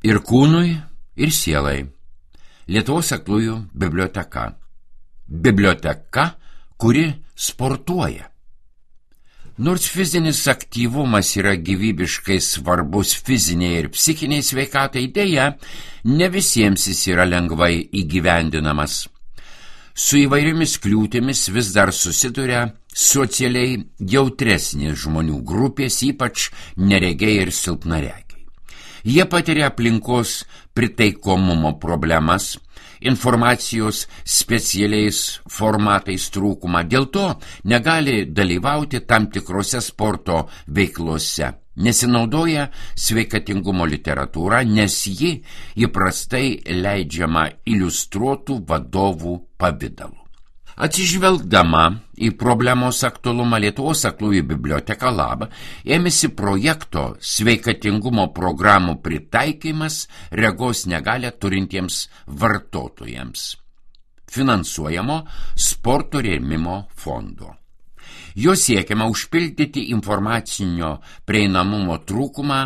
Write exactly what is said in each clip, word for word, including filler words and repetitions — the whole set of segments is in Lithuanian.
ir kūnui, ir sielai. Lietuvos aklųjų biblioteka. Biblioteka, kuri sportuoja. Nors fizinis aktyvumas yra gyvybiškai svarbus fiziniai ir psichiniai sveikatai, dėja, ne visiems jis yra lengvai įgyvendinamas. Su įvairiomis kliūtimis vis dar susiduria socialiai jautresnės žmonių grupės, ypač neregiai ir silpnaregiai. Jie patiria aplinkos pritaikomumo problemas, informacijos specialiais formatais trūkumą, dėl to negali dalyvauti tam tikrose sporto veiklose, nesinaudoja sveikatingumo literatūra, nes ji įprastai leidžiama iliustruotų vadovų pavidalu. Atsižvelgdama į problemos aktualumą, Lietuvos aklųjų biblioteka Lab ėmėsi projekto sveikatingumo programų pritaikymas regos negalią turintiems vartotojams, finansuojamo sporto rėmimo fondo. Jo siekiama užpildyti informacinio prieinamumo trūkumą,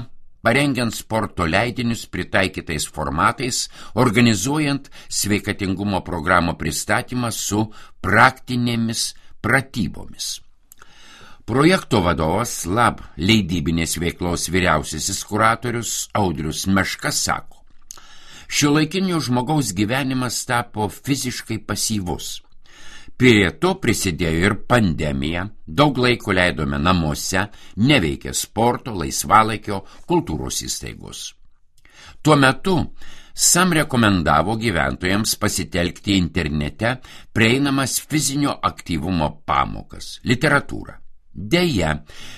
parengiant sporto leidinius pritaikytais formatais, organizuojant sveikatingumo programų pristatymą su praktinėmis pratybomis. Projekto vadovas Lab leidybinės veiklos vyriausiasis kuratorius Audrius Meška sako, šiuolaikinio žmogaus gyvenimas tapo fiziškai pasyvus. Prie to prisidėjo ir pandemija, daug laiko leidome namuose, neveikė sporto, laisvalaikio, kultūros įstaigos. Tuo metu SAM rekomendavo gyventojams pasitelkti internete prieinamas fizinio aktyvumo pamokas, literatūrą. Deja,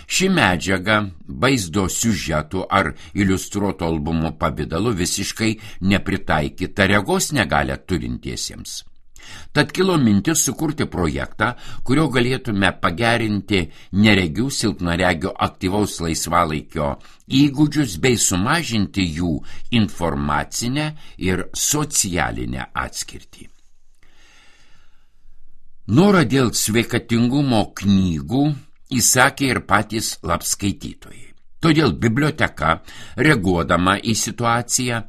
ši medžiaga vaizdo siužetų ar iliustruoto albumo pavidalu visiškai nepritaikyta regos negalią turintiesiems. Tad kilo mintis sukurti projektą, kurio galėtume pagerinti neregių silpnaregių aktyvaus laisvalaikio įgūdžius bei sumažinti jų informacinę ir socialinę atskirtį. Norą dėl sveikatingumo knygų įsakė ir patys Lab skaitytojai. Todėl biblioteka, reaguodama į situaciją,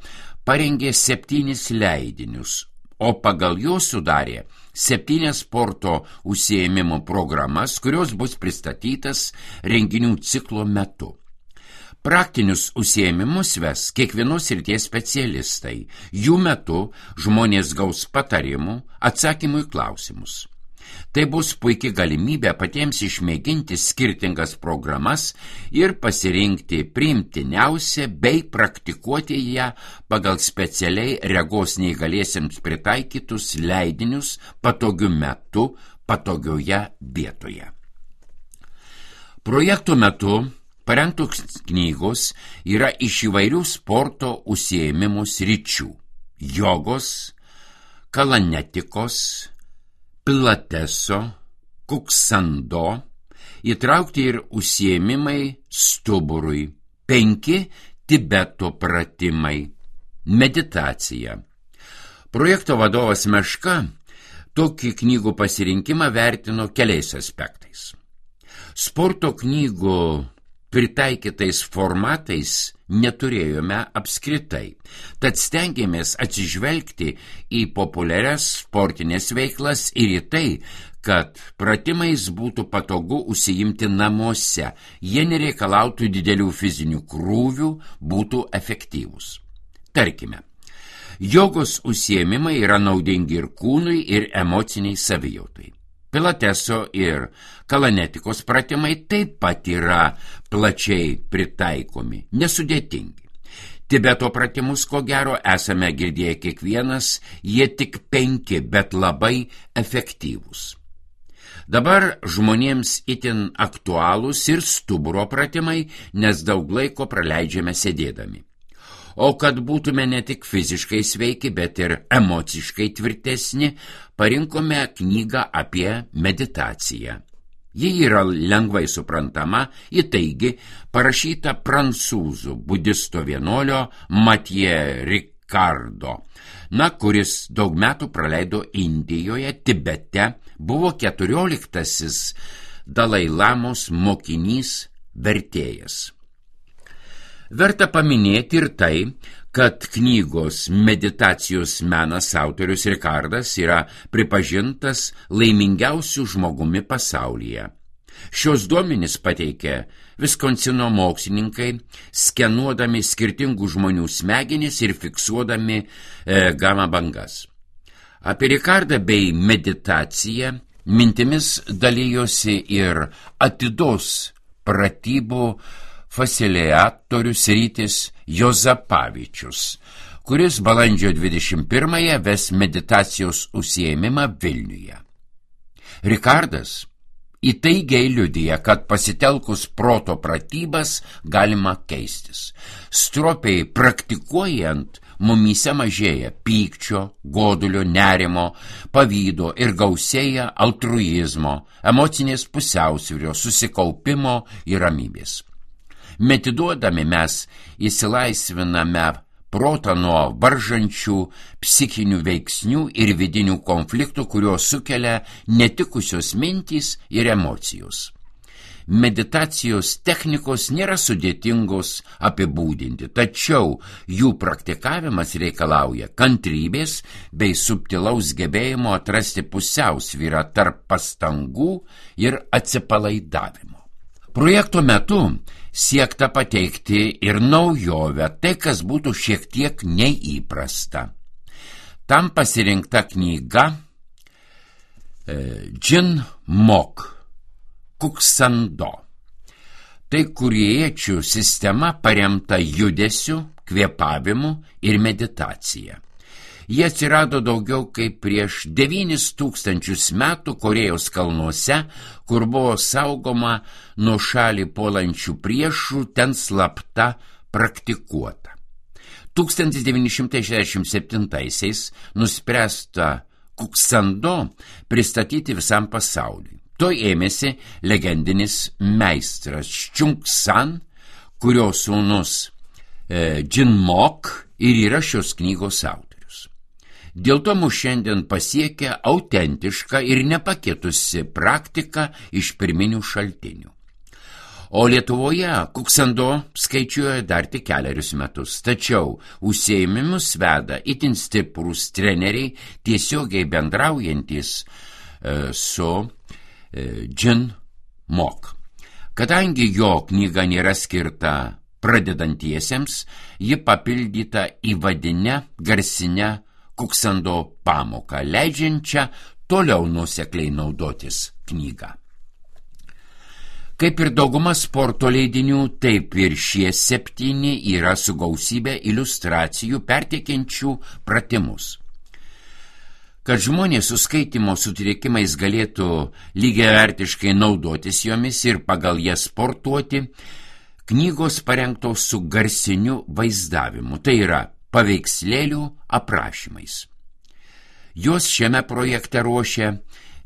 parengė septynis leidinius, o pagal juos sudarė septynias sporto užsiėmimo programas, kurios bus pristatytas renginių ciklo metu. Praktinius užsiėmimus ves kiekvienos srities specialistai. Jų metu žmonės gaus patarimų, atsakymų į klausimus. Tai bus puikia galimybė patiems išmėginti skirtingas programas ir pasirinkti priimtiniausią bei praktikuoti ją pagal specialiai regos neįgaliesiems pritaikytus leidinius patogiu metu, patogioje vietoje. Projekto metu parengtos knygos yra iš įvairių sporto užsiėmimų sričių – jogos, kalanetikos, pilateso, kuksando, įtraukti ir užsiėmimai stuburui, penki Tibeto pratimai, meditacija. Projekto vadovas Meška tokį knygų pasirinkimą vertino keliais aspektais. Sporto knygų pritaikytais formatais neturėjome apskritai, tad stengiamės atsižvelgti į populiarias sportinės veiklas ir į tai, kad pratimais būtų patogu užsiimti namuose, jie nereikalautų didelių fizinių krūvių, būtų efektyvūs. Tarkime, jogos užsiėmimai yra naudingi ir kūnui, ir emociniai savijautai. Pilateso ir kalanetikos pratimai taip pat yra plačiai pritaikomi, nesudėtingi. Tibeto pratimus, ko gero, esame girdėję kiekvienas, jie tik penki, bet labai efektyvūs. Dabar žmonėms itin aktualūs ir stuburo pratimai, nes daug laiko praleidžiame sėdėdami. O kad būtume ne tik fiziškai sveiki, bet ir emociškai tvirtesni, parinkome knygą apie meditaciją. Ji yra lengvai suprantama, įtaigi parašyta prancūzų budisto vienuolio Mathieu Ricardo, na, kuris daug metų praleido Indijoje, Tibete, buvo keturioliktasis Dalai Lamos mokinys, vertėjas. Verta paminėti ir tai, kad knygos Meditacijos menas autorius Rikardas yra pripažintas laimingiausiu žmogumi pasaulyje. Šios duomenys pateikė Viskonsino mokslininkai, skenuodami skirtingų žmonių smegenis ir fiksuodami e, gama bangas. Apie Rikardą bei meditaciją mintimis dalyjosi ir atidos pratybų facilitatorius Rytis Juozapavičius, kuris balandžio dvidešimt pirmąją ves meditacijos užsiėmimą Vilniuje. Rikardas įtaigiai liudija, kad pasitelkus proto pratybas galima keistis. Stropiai praktikuojant mumyse mažėja pykčio, godulio, nerimo, pavydo ir gausėja altruizmo, emocinės pusiausvyros, susikaupimo ir ramybės. Medituodami mes įsilaisviname protą nuo varžančių psichinių veiksnių ir vidinių konfliktų, kurios sukelia netikusios mintys ir emocijos. Meditacijos technikos nėra sudėtingos apibūdinti, tačiau jų praktikavimas reikalauja kantrybės bei subtilaus gebėjimo atrasti pusiausvyrą tarp pastangų ir atsipalaidavimo. Projekto metu siekta pateikti ir naujovę, tai kas būtų šiek tiek neįprasta. Tam pasirinkta knyga e, Jin Mok Kuksando. Tai kuriečių sistema paremta judesiu, kvėpavimu ir meditacija. Jie atsirado daugiau kaip prieš devynis tūkstančius metų Korėjos kalnuose, kur buvo saugoma nuo šalį puolančių priešų, ten slapta praktikuota. tūkstantis devyni šimtai šešiasdešimt septintaisiais nuspręsta Kuksando pristatyti visam pasauliui. To ėmėsi legendinis meistras Chung San, kurio sūnus e, Jin Mok ir yra šios knygos autorius. Dėl to mus šiandien pasiekia autentiška ir nepakitusi praktika iš pirminių šaltinių. O Lietuvoje Kuksando skaičiuoja dar tik kelerius metus, tačiau užsiėmimus veda itin stiprūs treneriai, tiesiogiai bendraujantis e, su e, Jin Mok. Kadangi jo knyga nėra skirta pradedantiesiems, ji papildyta įvadinę garsinę Kuksando pamoką, leidžiančią toliau nuosekliai naudotis knygą. Kaip ir dauguma sporto leidinių, taip ir šie septyni yra su gausybė iliustracijų perteikiančių pratimus. Kad žmonės su skaitymo sutrikimais galėtų lygiavertiškai naudotis jomis ir pagal jas sportuoti, knygos parengtos su garsiniu vaizdavimu, tai yra paveikslėlių aprašymais. Jos šiame projekte ruošia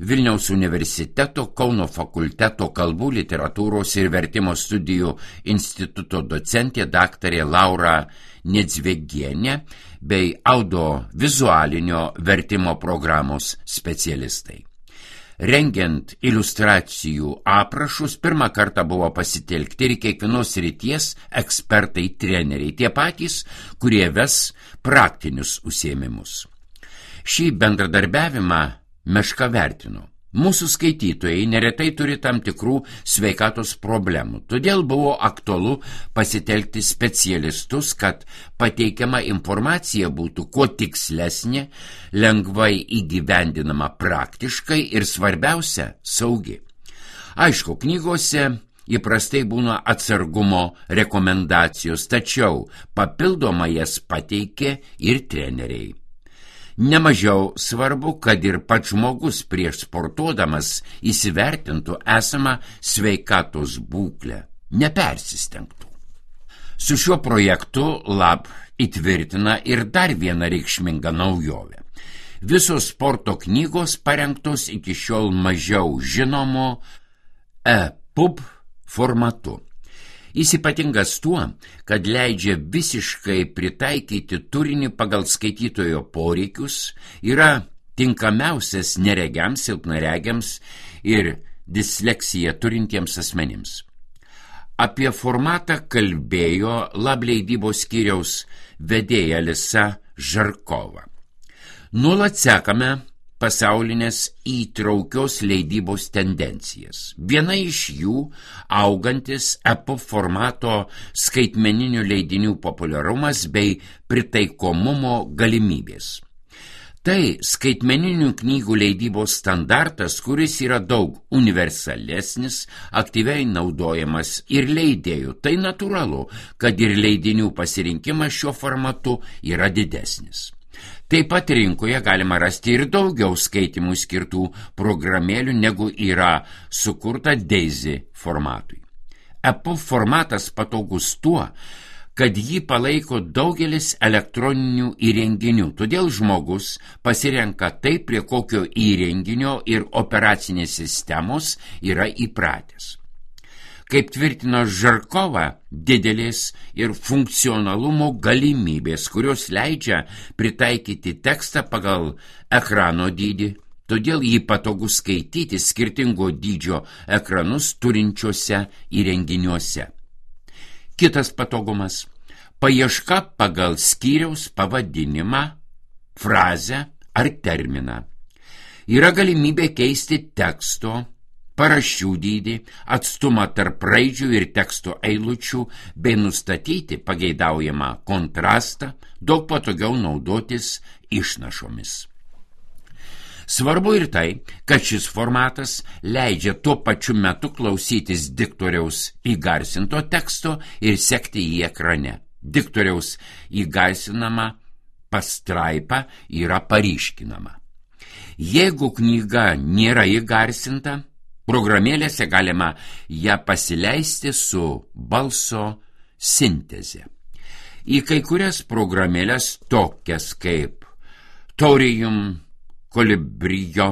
Vilniaus universiteto Kauno fakulteto kalbų, literatūros ir vertimo studijų instituto docentė daktarė Laura Nedzvegienė bei audiovizualinio vertimo programos specialistai. Rengiant iliustracijų aprašus, pirmą kartą buvo pasitelkti ir kiekvienos srities ekspertai treneriai, tie patys, kurie ves praktinius užsiėmimus. Šį bendradarbiavimą Meška vertino. Mūsų skaitytojai neretai turi tam tikrų sveikatos problemų, todėl buvo aktualu pasitelkti specialistus, kad pateikiama informacija būtų kuo tikslesnė, lengvai įgyvendinama praktiškai ir svarbiausia – saugi. Aišku, knygose įprastai būna atsargumo rekomendacijos, tačiau papildomai jas pateikė ir treneriai. Nemažiau svarbu, kad ir pats žmogus prieš sportuodamas įsivertintų esamą sveikatos būklę, nepersistengtų. Su šiuo projektu Lab įtvirtina ir dar vieną reikšmingą naujovę. Visos sporto knygos parengtos iki šiol mažiau žinomo e-pub formatu. Jis ypatingas tuo, kad leidžia visiškai pritaikyti turinį pagal skaitytojo poreikius, yra tinkamiausias neregiams, silpnaregiams ir disleksiją turintiems asmenims. Apie formatą kalbėjo Lab leidybos skyriaus vedėja Alisa Žarkova. Nuolat sekame pasaulinės įtraukios leidybos tendencijas. Viena iš jų augantis E P U B formato skaitmeninių leidinių populiarumas bei pritaikomumo galimybės. Tai skaitmeninių knygų leidybos standartas, kuris yra daug universalesnis, aktyviai naudojamas ir leidėjų. Tai natūralu, kad ir leidinių pasirinkimas šiuo formatu yra didesnis. Taip pat rinkoje galima rasti ir daugiau skaitimų skirtų programėlių, negu yra sukurta Daisy formatui. E P U B formatas patogus tuo, kad jį palaiko daugelis elektroninių įrenginių, todėl žmogus pasirenka tai, prie kokio įrenginio ir operacinės sistemos yra įpratęs. Kaip tvirtino Žarkova, didelės ir funkcionalumo galimybės, kurios leidžia pritaikyti tekstą pagal ekrano dydį, todėl jį patogu skaityti skirtingo dydžio ekranus turinčiuose įrenginiuose. Kitas patogumas – paieška pagal skyriaus pavadinimą, frazę ar terminą. Yra galimybė keisti teksto, paraščių dydį, atstumą tarp raidžių ir teksto eilučių bei nustatyti pageidaujamą kontrastą, daug patogiau naudotis išnašomis. Svarbu ir tai, kad šis formatas leidžia tuo pačiu metu klausytis diktoriaus įgarsinto teksto ir sekti jį ekrane. Diktoriaus įgarsinama pastraipa yra paryškinama. Jeigu knyga nėra įgarsinta, programėlėse galima ją pasileisti su balso sinteze. Į kai kurias programėlės tokias kaip Taurium Kolibrijo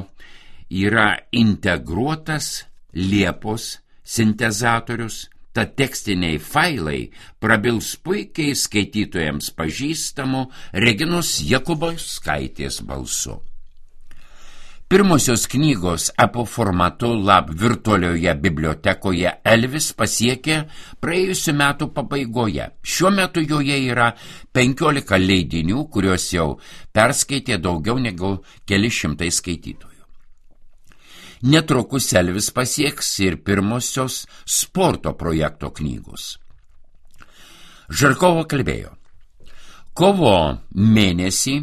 yra integruotas Liepos sintezatorius, tad tekstiniai failai prabils puikiai skaitytojams pažįstamų Reginos Jakubauskaitės balsu. Pirmosios knygos E P U B formatu Lab virtualioje bibliotekoje Elvis pasiekė praėjusių metų pabaigoje. Šiuo metu joje yra penkiolika leidinių, kuriuos jau perskaitė daugiau negu keli šimtai skaitytojų. Netrukus Elvis pasieks ir pirmosios sporto projekto knygos. Žarkova kalbėjo: kovo mėnesį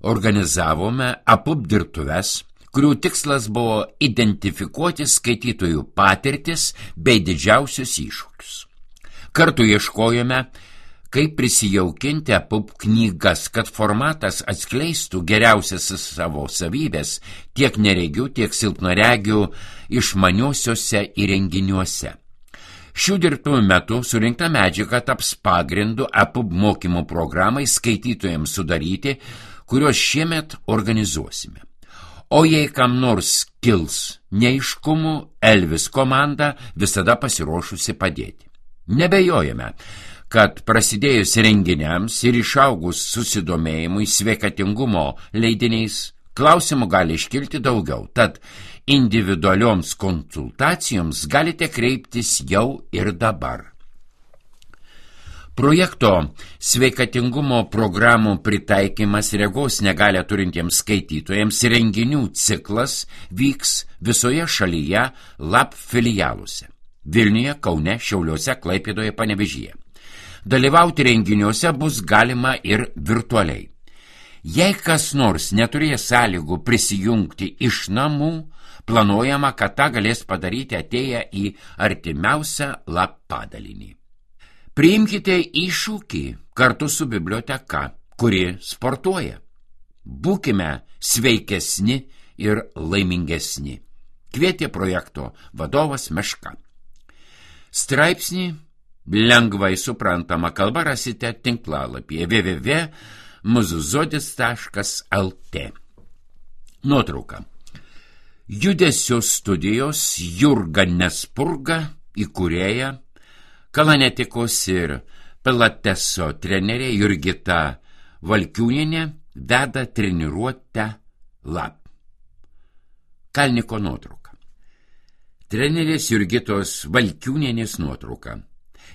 organizavome E P U B dirbtuves, kurių tikslas buvo identifikuoti skaitytojų patirtis bei didžiausius iššūkius. Kartu ieškojome, kaip prisijaukinti E P U B knygas, kad formatas atskleistų geriausias savo savybės tiek neregių, tiek silpnaregių išmaniuosiuose įrenginiuose. Šių dirbtuvių metu surinkta medžiaga taps pagrindu E P U B mokymų programai skaitytojams sudaryti, kuriuos šiemet organizuosime. O jei kam nors kils neaiškumų, Elvis komanda visada pasiruošusi padėti. Nebejojame, kad prasidėjus renginiams ir išaugus susidomėjimui sveikatingumo leidiniais, klausimų gali iškilti daugiau, tad individualioms konsultacijoms galite kreiptis jau ir dabar. Projekto sveikatingumo programų pritaikymas regos negalią turintiems skaitytojams renginių ciklas vyks visoje šalyje Lab filialuose – Vilniuje, Kaune, Šiauliuose, Klaipėdoje, Panevėžyje. Dalyvauti renginiuose bus galima ir virtualiai. Jei kas nors neturės sąlygų prisijungti iš namų, planuojama, kad tą galės padaryti atėję į artimiausią Lab padalinį. Priimkite iššūkį kartu su biblioteka, kuri sportuoja. Būkime sveikesni ir laimingesni. Kvietė projekto vadovas Meška. Straipsnį lengvai suprantama kalba rasite tinklalapyje w w w taškas muzuzodis taškas l t. Nuotrauka. Judesio studijos Jurga Nespurga, įkūrėja, Kalanetikos ir Pilateso trenerė Jurgita Valkiūnienė veda treniruotę Lab. Kalniko nuotrauka. Trenerės Jurgitos Valkiūnienės nuotrauka.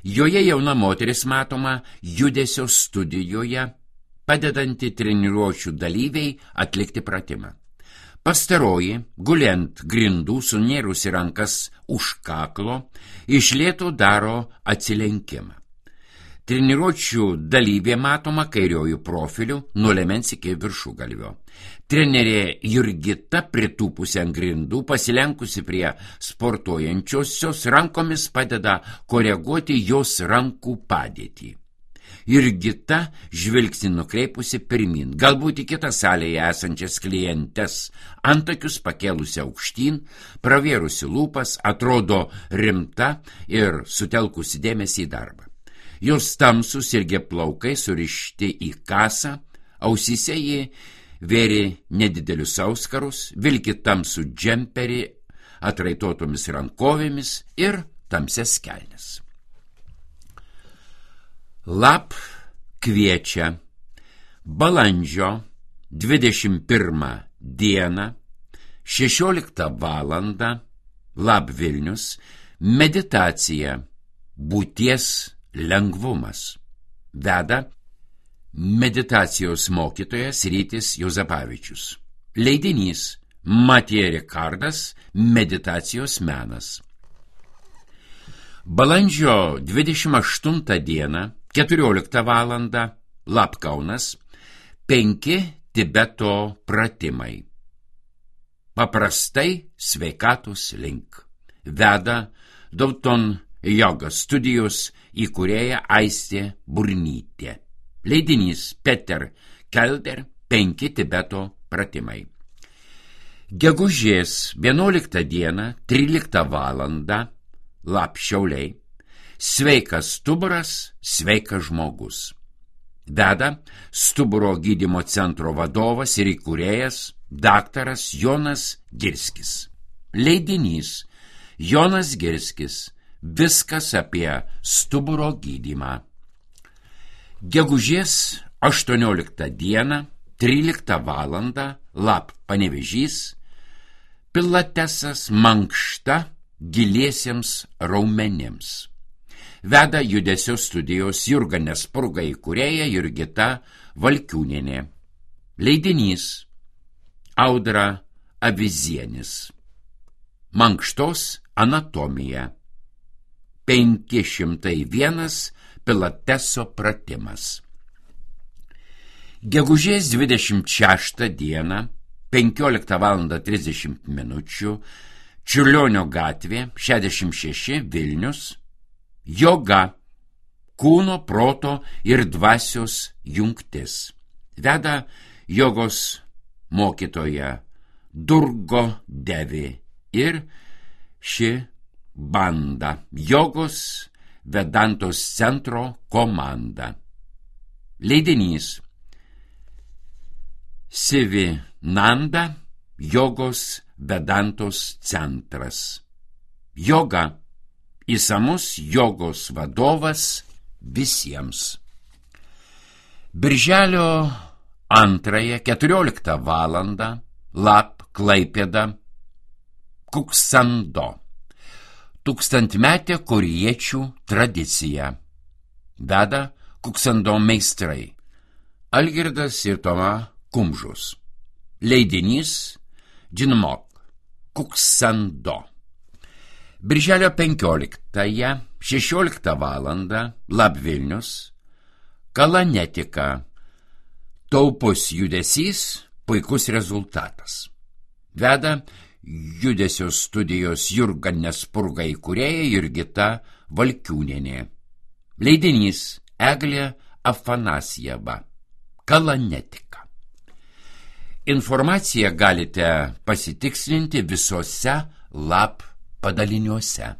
Joje jauna moteris matoma judesio studijoje, padedanti treniruočių dalyviai atlikti pratimą. Pastaroji, guliant grindų, sunėrusi rankas už kaklo, iš lėto daro atsilenkimą. Treniruočių dalyvė matoma kairiojų profilių nuo liemens iki viršugalvio. Trenerė Jurgita, pritūpusi ant grindų, pasilenkusi prie sportuojančiosios, rankomis padeda koreguoti jos rankų padėtį. Jurgita žvilgsnį nukreipusi pirmin, galbūt į kitą salėje esančias klientes, antakius pakėlusi aukštyn, pravėrusi lūpas, atrodo rimta ir sutelkusi dėmesį į darbą. Jos tamsus irgi plaukai surišti į kasą, ausyse ji vėrė nedidelius auskarus, vilki tamsų džemperį atraitotomis rankovėmis ir tamsias kelnes. Lap kviečia balandžio dvidešimt pirmą dieną, šešioliktą valandą, Lap Vilnius, meditacija būties lengvumas. Veda meditacijos mokytojas Rytis Juozapavičius. Leidinys Matija Rikardas, meditacijos menas. Balandžio dvidešimt aštuntą dieną, keturioliktą valandą, Lap Kaunas, penki Tibeto pratimai. Paprastai sveikatos link. Veda Dauton Joga studijos įkūrėja Aistė Burnytė. Leidinys Peter Kelder, penki Tibeto pratimai. Gegužės vienuoliktą dieną, tryliktą valandą, Lap Šiauliai. Sveikas stuburas, sveikas žmogus. Veda stuburo gydymo centro vadovas ir įkūrėjas daktaras Jonas Girskis. Leidinys Jonas Girskis. Viskas apie stuburo gydymą. Gegužės aštuonioliktą dieną, tryliktą valandą, Lap Panevėžys, pilatesas mankšta giliesiems raumenims. Veda judesio studijos Jurga Nespurga įkūrėja Jurgita Valkiūnienė. Leidinys Audra Avizienis. Mankštos anatomija. penki šimtai vienas pilateso pratimas. Gegužės dvidešimt šeštą dieną, penkioliktą valandą trisdešimt minučių, Čiurlionio gatvė, šešiasdešimt šeši, Vilnius, joga, kūno, proto ir dvasios jungtis. Veda jogos mokytoja Durgo Devi ir ši banda, jogos Vedantos centro komanda. Leidinys Sivinanda, jogos Vedantos centras. Joga, įsamus jogos vadovas visiems. Birželio antrąją, keturioliktą valandą, Lap Klaipėda, Kuksando. Tūkstantmetė korėjiečių tradicija. Veda Kuksando meistrai Algirdas ir Toma Kumžus. Leidinys Džinmok, Kuksando. Birželio penkioliktąją, šešioliktą valandą, Lap Vilnius, Kalanetika. Taupus judesys, puikus rezultatas. Veda judesio studijos Jurga Nespurga įkūrėja Jurgita Valkiūnienė. Leidinys Eglė Afanasjeva, Kalanetika. Informaciją galite pasitikslinti visose Lap padaliniuose.